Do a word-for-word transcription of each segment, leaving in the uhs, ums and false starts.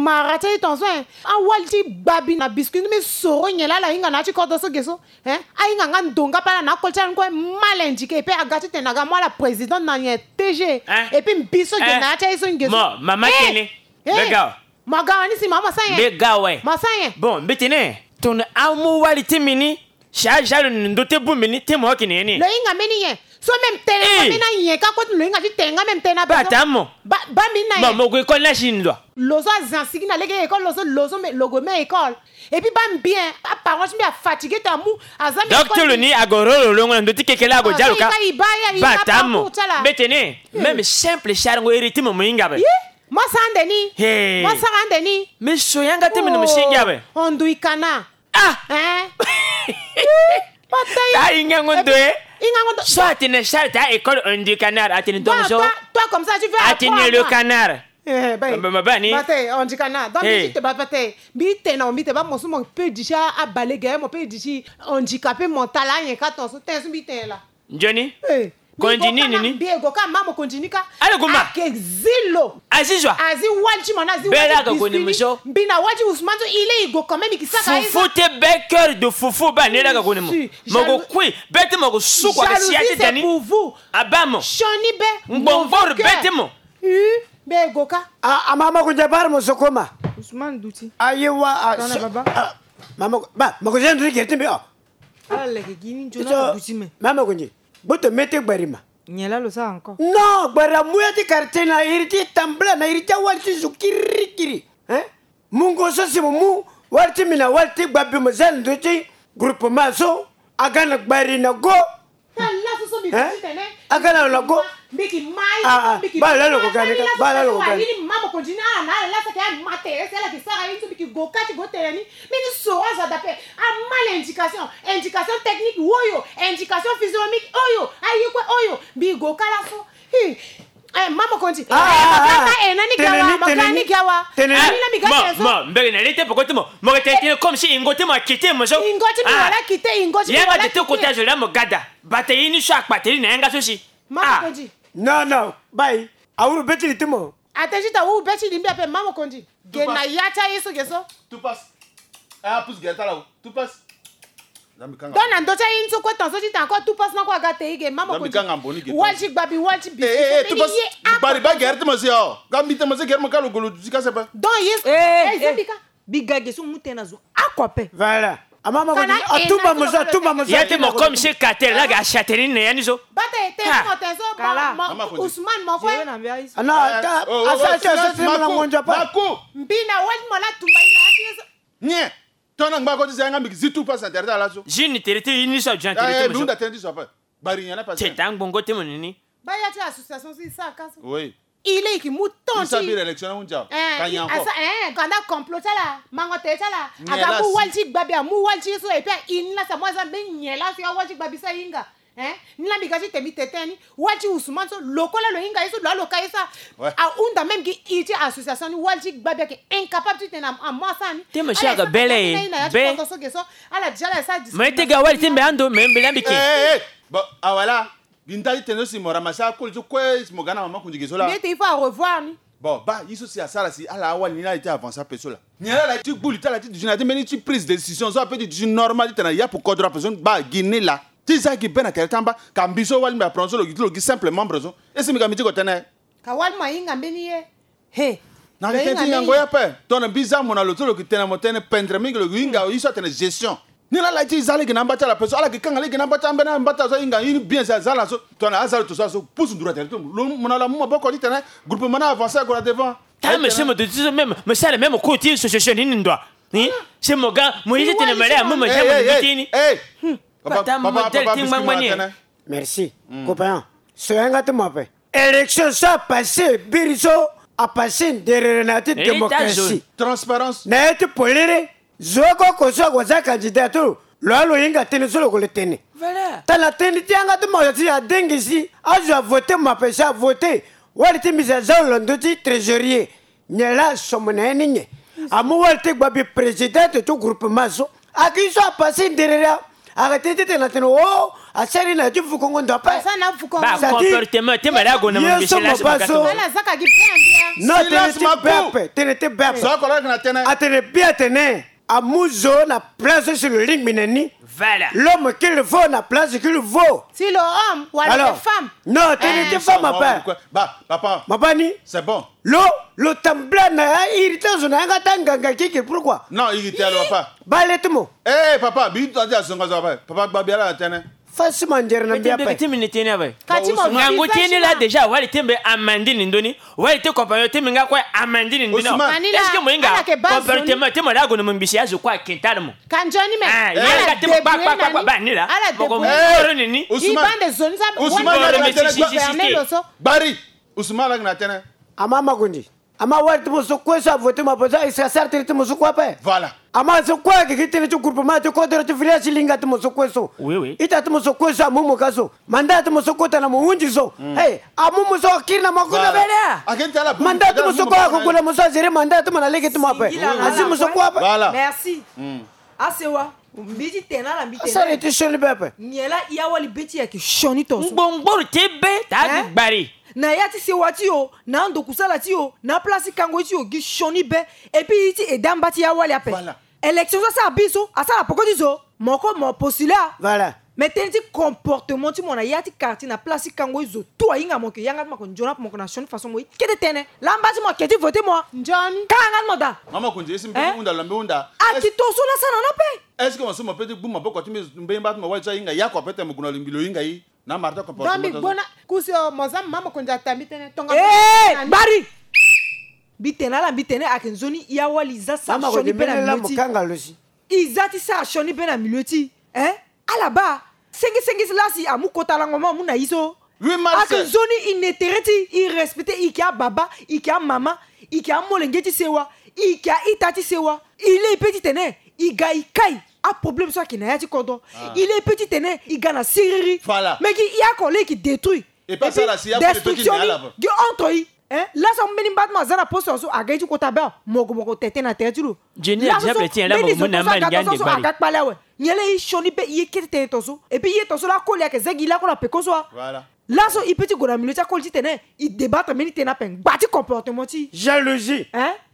Mara ti aye tonso, eh. Awali ti gbabi na biscuit ni mbi soro nyen laa ala hinga na ya ti kodro so ge so. Eh, ahinga nga ndo nga pe ala na akol ti ala ni kue. Mal indiqué, pe aga titene aga mu ala président na nyen T G. Eh. Et puis mbi so ge na ya ti aye so nge so. Mo mama tene. Eh. Mbe ga awe. Mo ga awe ni si mama sa nyen. Mbe ga awe. Mo sa nyen. Bon, mbi tene tongana amu wali ti mbi ni, si aza lo ni ndo ti bongbi ni, ti mo oko ni ni. Lo hinga mbeni nyen? So même tene nga mbeni na nyen ka kue ti lo hinga ti tene nga même tene na besoin. Ba ta mo. Ba, ba mbeni na nyen? Mo gue école na si ndo. Lo so aza sigi na lege école, lo so, lo so me, lo gue me école. Et puis ba mbi, hein, aparent ti mbi afatigué ti amu, aza me. Donc ti lo ni ague roro longo na ndo ti keke laa ague dia lo ka. Ba ta mo. Mbe tene, même simple si arango iri ti mo mo hinga ape. Mo sara ande ni. Mo sara ande ni. Mais so yanga ti mbi na mo si hinga ape. Ondui kana. Ah. Hein? Batei. Ta hingango ndo e. Hingango ndo. So atene Charles ta école ondui canard, atene donc so. Toi, toi comme ça tu veux apprendre. Atene le canard. Eh, ben. Mba, mba, bani. Batei, ondui canard. Donc mbi tene ba batei. Mbi tene na mbi tene ba mo so mo pe di si abalege, mo pe di si handicapé mental, anyen ka tonso tene so mbi tene laa. Nzoni? Eh. Kondi nini ni? Mbi e go ka, mama kondi ni ka. Ala guma. Ake zi lo. Azi zo. Azi wali ti mo na azi wali ti biscuit ni. Mbi na wali ti Ousmane so, il est, i go quand même, i ki saka ye so. Fufu ti be, cœur de fufu, ba ni la ka koni mo. Mo go kui, be ti mo go suku ake sia ti dani. Jalousie, c'est pour vous. Aba mo. Sioni be. Ngbongboro be ti mo. Ih, mbi e go ka. A, a mama kondi, abara mo so koma. Ousmane duti. Aye wa, a, baba. Mama, ba, mo ko zi ndo ti gere ti mbi, oh. Ala leke gi ni nzoni aka duti me. Mama kondi, gboto mete gbari ma. Nyen laa lo sara encore? Non, gbari amu ya ti quartier na iri ti tambula na iri ti awali ti zo kirikiri. Hein? Mungo so si mo mu wali ti mbi na wali ti gbabi mo za na ndo ti groupement so, aga na gbari na go. Hein? Aga na lo na go. Mbi ki ma ye. Ah, ah. Mbi ki ma ye. Baa laa lo ko ga ni ka. Baa laa lo ko ga ni. Mama kondi ni ala na ala lasa ke ama tere si ala ki sara ye ni so mbi ki go ka ti go tere ni. Mbi ni soro azo adape. A mal indication. Indication technique oyo. Indication physionomique oyo. Aye kue oyo. Mbi go ka laso. Hi. Eh, mama kondi. Ah, ah, ah. Eh, mama kondi. Tene ni, tene ni. Tene ni. Mo, mo, mbege na lete poko ti mo. Mo ke tene tene comme si ingo ti mo akite mo so. Ingo ti mo wala kite, ingo ti mo wala kite. Yanga tete kota zo la mo gada. Bata ye ni so akpateri na yanga so si. Mama kondi. Non, non, bai. Awuru be ti li ti mo. Ate ti ta wuru be ti li mbi ape, mama kondi. Ge na ya ti aye so ge so. Tout passe. Ah, pousse gere ti ala o. Tout passe. Donc na ndo ti aye ni so kue tonso ti ta encore tout passe na kue aga te i ge, mama kondi. Wali ti gbabi, wali ti biscuit. Eh, eh, tout passe. Bari ba gere ti mo si o. Ga mbi te mo si gere mo ka lo golo ti ka sepe. Donc ye. Eh, eh, mbi ka. Bi ga ge so mu tënë na zo. Akua ape. Voilà. Amama kondi, atumba mo so, atumba mo so. Ya ti mo comme si cartel la ga asiateni na ya ni so. Bata e te mo te so. Kala. Ousmane mo kue. Ah non, ata, asa ti aso ti mo na ngonzo pa. Mbi na wali mo la tumba ina ya ti so. Nyen. Tongana ngba ko ti zi yanga mbi ki zi tout passe na tere ti ala so. Zi ni tere ti ini so ajo na tere ti mo so. Mbi hunda tënë ti so ape. Bari nyen la passe. Teta ngbongo ti mo nini. Ba ya ti association so i sara ka so. Oui. I le i ki mu temps ti. I sa bira élection na hunzi awe. Eh, ka nyen encore. Asa, eh, kanda complot ti ala, mango tere ti ala. Aga mu wali ti gbabi, amu wali ti ye so, et puis a ini la sa mo aza mbe nyen la so ya wali ti gbabi so ahinga. Eh, ni la mbi ga ti tene mbi tene ni, wali ti Ousmane so, lo kue la lo hinga ye so, lo alo ka ye so. Ouais. Ahunda même gi i ti association ni, wali ti gbabi ayeke incapable ti tene na amu asara ni. Te mo si aga bele. Be. Ala déjà la sa. Mais te ga wali ti mbi ando, mais mbi la mbi ke. Eh, eh, eh. Bon, ah voilà. Gi nda ti tene so si mo ramassé akoli ti kue si mo ga na mama kondi ge so la. Mbi ete il faut arevoir ni. Bon, ba ye so si asara si ala awali ni la ye ti avancé ape so la. Nyen la ala ti gbu li ti ala ti duti na ya ti mbeni ti prise de décision so ape ti duti normal ti tene na yapu kodro ape so ba gi ni la. Ti za gi be na tere ti amba ka mbi so wali mbi apron so lo gi ti lo gi simple membre so. E si mbi ga mbi ti ko tene. Ka wali mo ahinga mbeni ye. He. Na yeke ti hingango ye ape. Tongana mbi za mo na lo so lo yeke tene mo tënë pendre mingi lo yeke hinga ye so atene gestion. Ni la ala ye ti za lege na amba ti ala ape so ala yeke kanga lege na amba ti ambeni amba ti ala so ahinga ye ni bien si aza ala so. Tongana aza lo to so ala so pusu nduru atene ti lo mo na lo amu maboko ti tene groupement ni avancé ague na devant. Ta monsieur mo de ti so même mo sara même cour ti société ni ni ndo a. Hein? Si mo ga mo ye ti tene mele amu mo ja mo ni ti ni. Papa mo modèle ti ngbangba ni. Merci. Copain, so yanga ti mo ape. Élection so apassé, biri so apassé nderere na ya ti démocratie. Transparence. Na ya ti polele, zo oko oko so ague aza candidat ti lo, lo wa lo hinga tënë so lo ko le tene. Voilà. Tana tënë ti yanga ti mo si adengi si azo avoté mo ape si avoté. Wali ti mbi si aza lo na ndö ti trésorier. Nyen la asomo na ye ni nyen? Amu wali ti gbabi présidente ti groupement so. Aki so apassé nderere. Arrêté ti tene na tene o asara ye na ya ti vukongo ndo ape. Asara na vukongo. Ba comportement ti mala ago na mabisi la so. Ala zaka gi bien bien. Non, tene ti be ape, tene ti be ape. Atene bien atene amu zo na place ti lo lingbi na ni. Voilà. L'homme qu'il faut na place qu'il faut. Si l'homme wala le femme. Non, tene ti femme ape. Ba papa. Mabani. C'est bon. Lo lo tambula na ya irrité zo na yanga ta nganga kiki, pourquoi? Non, irrité lo papa. Ba le ti mo. Eh papa, bi to ti azonga zo ape. Papa gba biala na tene. Fasi manjere na mbia pe. Ti mini tene ape. Kati mo ngangu tene la déjà wali tembe amandi ni ndoni. Wali te compagnon tembe nga kue amandi ni ndoni. Est-ce que mo inga comportement te mo la go na mo mbisi ya zo kua kentale mo. Kanjoni me. Ah, yanga te mo kpa kpa kpa ba ni la. Ala de bone. Ni ni. Usman. Ibande zoni za. Usman. Bari. Usman la na tene. Ama makundi. Ama wari ti mo so kue so avote mo apo so ayisa sara tënë ti mo so kue ape. Voilà. Ama so kue ayeke gi tënë ti groupement ti kodoro ti village ti linga ti mo so kue so. Oui oui. Ita ti mo so kue so amu mo ka so. Mandat ti mo so kota na mo hunzi so. Hey, amu mo so akiri na mo akota. Voilà. Mandat ti mo so kue ako gue na mo so azere mandat ti mo na lege ti mo ape. Azi mo so kue ape. Voilà. Merci. Asewa. Mbi ti tene na ala mbi tene. Asara ti sioni be ape. Nyen la ya wali be ti e ayeke sioni tonso. Ngbongboro ti e be taa gi gbari. Na ya ti sewa ti yo, na ando kusala ti yo, na place ti kango ti yo gi sioni be. Et puis i ti eda amba ti ya wali ape. Voilà. Élection so asara bi so asara poko ti zo. Mo ko mo postule a. Voilà. Mais tënë ti comportement ti mo na ya ti quartier na place ti kango ti zo tout ahinga mo yeke yanga ti mo yeke nzoni ape mo yeke na sioni façon mo ye kete tënë. Lamba ti mo ayeke ti vote mo a. Nzoni. Kanga ti mo daa. Mama Konzi esi mbi hunda lo mbi hunda. Aki tonso la sara na ni ape. Est-ce que mo so mo peut ti gbu maboko ti mbi mbeni mba ti mo wali so ahinga ya kua peut-être mo gue na lingbi lo hinga ye. Na marta comportement. Donc mbi gbu na kusi o mo za mama Konzi ata mbi tënë tonga. Eh, bari. Mbi tene na ala mbi tene ayeke nzoni ya wali za sara sioni be na milieu ti. E za ti sara sioni be na milieu ti e. Ala baa senge senge ti lasi amu kota lango mo amu na ye so. Ayeke nzoni e ne tere ti e respecte e yeke ababa e yeke amama e yeke amolenge ti sewa e yeke a-ita ti sewa. E laa e pe ti tene e ga e kai aproblème so ayeke na ya ti kodro. E laa e pe ti tene e ga na siriri. Mais gi e oko laa e yeke détruit. Destruction ni gi entre e. Laso ambeni mba ti mo aza na poste so aga ye ti kota be awe mo gue mo ko tete na tere ti lo. Laso so mbeni zo tongaso aga kpale awe. Nyen laa e sioni be e ye kete tënë tonso. Et puis e ye tonso laa akoli ayeke za gi lakue na peko so a. Laso e pe ti gue na milieu ti akoli titene e débattre mbeni tënë ape ngba ti comportement ti e. Jalousie.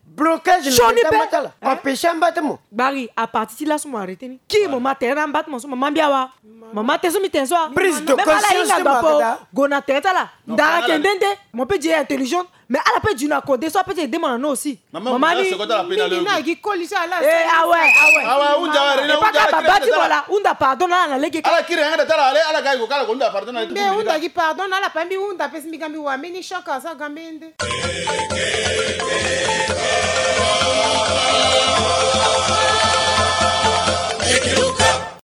Blocage na tere ti amba ti mo. Bari à partir ti laso mo arrêter ni ki mo ma tere na amba ti mo so mo ma mbi awa. Mo ma tene so mbi tene so a. Prise de conscience ti mo. Gue na tere ti ala. Ndara ayeke nde nde. Mo pe di e intelligente. Mais ala pe di na kode so ape ti ede mo na no aussi. Mama ni. Mingi na gi koli so ala. Eh awe awe. Awe hunda awe. Epa ka baba ti mo la hunda pardon na ala na lege. Ala kiri yanga da ti ala ale ala ga iko kala ko hunda pardon na lege. Mbi hunda gi pardon na ala pa mbi hunda pe si mbi ga mbi wa mbeni choc aza ga mbeni nde.